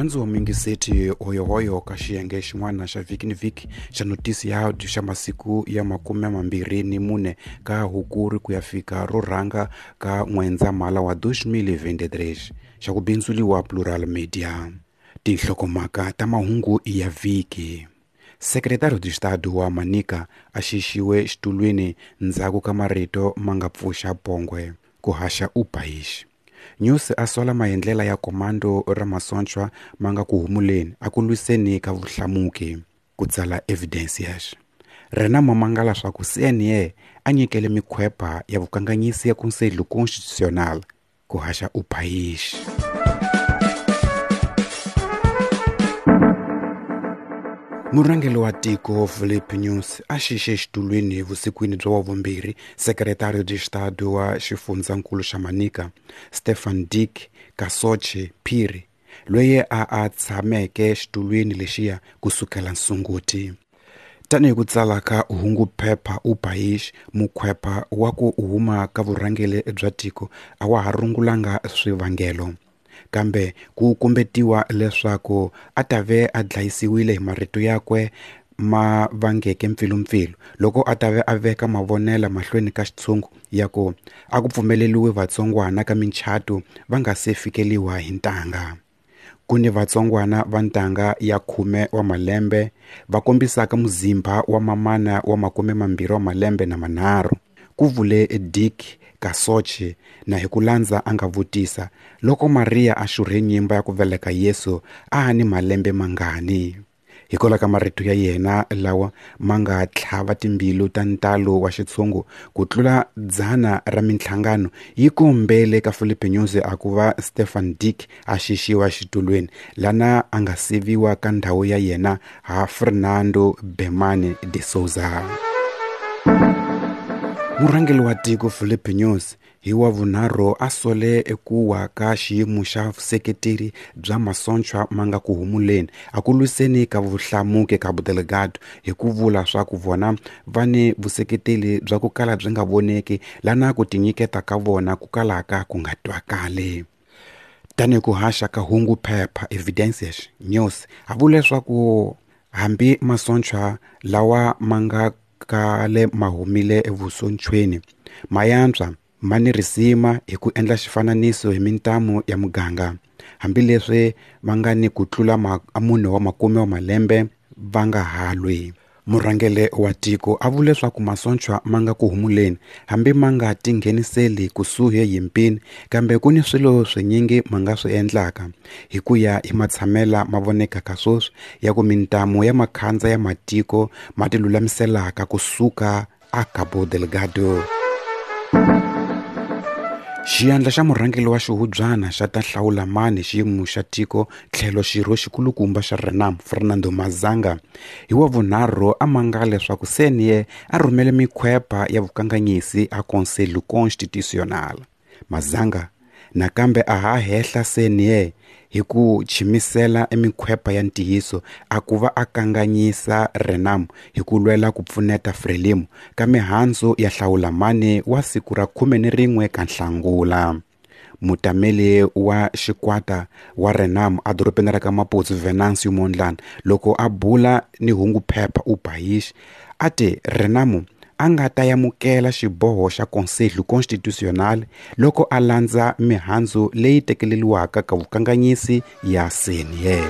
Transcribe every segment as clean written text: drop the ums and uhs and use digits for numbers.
Murhandzi wa muyingiseti hoyohoyo ka xiyenge xin'wana xa vhiki ni vhiki xa notisi ya audio xa masiku ya 24 ka Hukuri ku ya fika ro rhanga ka N'wendzamhala wa 2023 xa ku bindzuliwa Plural Media. Tinhlokomhaka ta mahungu ya vhiki. Secretário de Estado wa Manica a xixiwe xitulwini ndzhaku ka marito ma nga pfuxa pongwe ku haxa O País. Nyusi a sola maendlela ya komando ra masochwa ma nga ku humuleni a ku lwiseni ka vuhlamuki ku tsala Evidências. Renamo mangala swa ku CNE a nyikele mikhwepa ya vukanganyisi ya Conselho Constitucional ku haxa O País. Murhangeri wa tiko Filipe Nyusi a xixe xitulwini vusikwini bya wavumbirhi Secretário de Estado wa xifundzankulu xa Manica Stefan Dick Kasoche Phiri loyi a tshameke xitulwini lexiya kusukela nsunguti. Tanihi ku tsala ka hungu phepha O País, mukhwepa wa ku huma ka vurhangeri bya tiko a wa ha rungulanga swivangelo, kambe ku kumbetiwa leswaku a ta ve a dlayisiwile hi marito yakwe ma vangeke mpfilumpfilu loko a ta ve a veka mavonela mahlweni ka xitshungu ya ku a ku pfumeleliwi vatsongwana ka minchato va nga se fikeliwa hi ntanga. Ku ni vatsongwana va ntanga ya 10 wa malembe va kombisaka muzimba wa mamana wa 23 wa malembe na manharhu, ku vule Dick Kasoche, na hi ku landza a nga vutisa loko Maria a xurhe nyimba ya ku veleka Yesu a ni malembe mangani. Hikwalaho ka marito ya yena lawa ma nga tlhava timbilu ta ntalo wa xitshungu ku tlula 100 ra minhlangano yi kombele ka Filipe Nyusi a ku va Stefan Dick a xixiwa xitulwini lana a nga siviwa ka ndhawu ya yena ha Fernando Bemane de Souza. Murhangeri wa tiko Filipe Nyusi hi wa vunharhu a sole eku wa ka xiyimo xa vuseketeri bya masochwa ma nga ku humuleni a ku lwiseni ka vuhlamuki Cabo Delgado hi ku vula swa ku vona va ni vuseketeri bya ku kala byi nga voneki lana ku tinyiketa ka vona ku kalaka ku nga twakali. Tanihi ku haxa ka hungu phepha Evidências News a vula leswaku hambi masochwa lawa ma nga kale ma humile evusonchweni ma yantswa ma ni risima hi ku endla xifananiso hi mintamu ya muganga, hambileswi va nga ni ku tlula 4 wa makume wa malembe va nga halwi. Murhangeri wa tiko a vule leswaku masochwa ma nga ku humuleni hambi ma nga tingheniseli kusuhi yimpini, kambe ku ni swilo swinyingi ma nga swi endlaka hi ku ya hi matshamela ma vonekaka sweswi ya ku mintamu ya makhandza ya matiko ma tilulamiselaka kusuka a Cabo Delgado. Xiyandla xa murhangeri wa xihubyana xa ta hlawula mani xiyimo xa tiko tlhelo xirho xikulukumba xa Renamo Fernando Mazanga hi wa vunharhu a mangala leswaku CNE a rhumele mikhwepa ya vukanganyisi a Conselho Constitucional. Mazanga nakambe a ha hehla CNE hi ku chimisela emikhwepa ya ntiyiso a ku va a kanganyisa Renamo hi ku lwela ku pfuneta Frelimo ka mihandzu ya hlawula mani wa siku ra 11 ka Nhlangula. Mutameli wa xikwata wa Renamo a dorobeni ra ka Maputo Venancio Mondlane loko a bula ni hungu phepha O País a te Renamo a nga ta yamukela xiboho xa Conselho Constitucional loko a landza mihandzu leyi tekeleriwaka ka vukanganyisi ya CNE.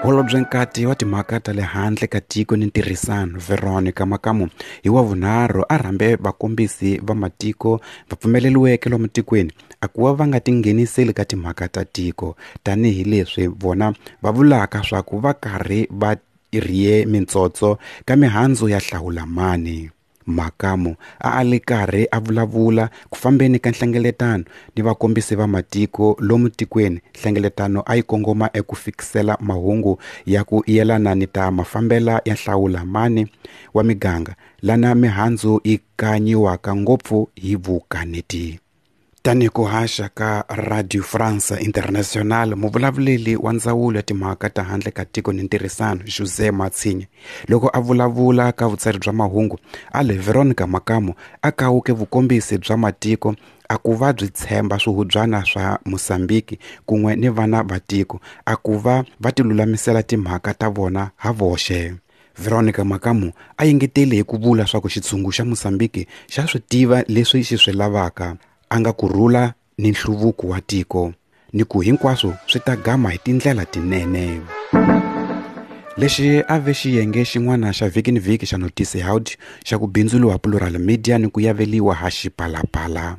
Holobye nkati wa timhaka ta le handle ka tiko ni ntirhisano Veronica Makamu hi wa vunharhu a rhambe vakombisi va matiko va pfumeleriweke lomu tikweni a ku va va nga tingheniseli ka timhaka ta tiko tanihileswi vona va vulaka swa ku va karhi va rhiye mintsotso ka mihandzu ya hlawula mani. Makamu a li karhi a vulavula ku fambeni ka nhlengeletano ni vakombisi va matiko lomu tikweni. Nhlengeletano a yi kongoma eku fikisela mahungu ya ku yelana ni ta mafambela ya hlawula mani wa miganga lana mihandzu yi kanyiwaka ngopfu hi vukaneti. Tanihi ku haxa ka Radio France International, muvulavuleli wa ndzawulo ya timhaka ta handle ka tiko ni ntirhisano, José Matsinhe, loko a vulavula ka vutsari bya mahungu, a le Veronica Makamo a kawuke vukombisi bya matiko a ku va byi tshemba swihubyana swa Mozambique kun'we ni vana va tiko a ku va va tilulamisela timhaka ta vona ha voxe. Veronica Makamu a engetele hi ku vula swa ku xitshungu xa Mozambique xa swi tiva leswi xi swi lavaka, a nga ku rhula ni nhluvuko wa tiko, ni ku hinkwaswo swi ta gama hi tindlela tinene. Lexi a ve xiyenge xin'wana xa vhiki ni vhiki xa Notice Audio xa ku bindzuriwa Plural Media ni ku yaveliwa ha Xipalapala.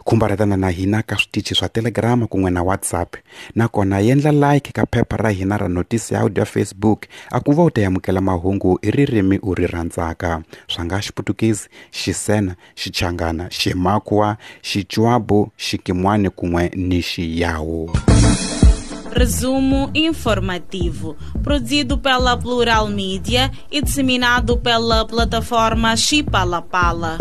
Khumbaretana na hina ka switichi swa Telegram kun'we na WhatsApp, nakona yendla like ka phepha ra hina ra Notice Audio ya Facebook a ku va u ta amukela mahungu hi ririmi u ri rhandzaka, swa nga Xiputukezi, Xisena, Xichangana, Ximakwa, Xichwabu, Xikimwani kun'we ni Xiyawu. Resumo informativo, produzido pela Plural Mídia e disseminado pela plataforma Xipalapala.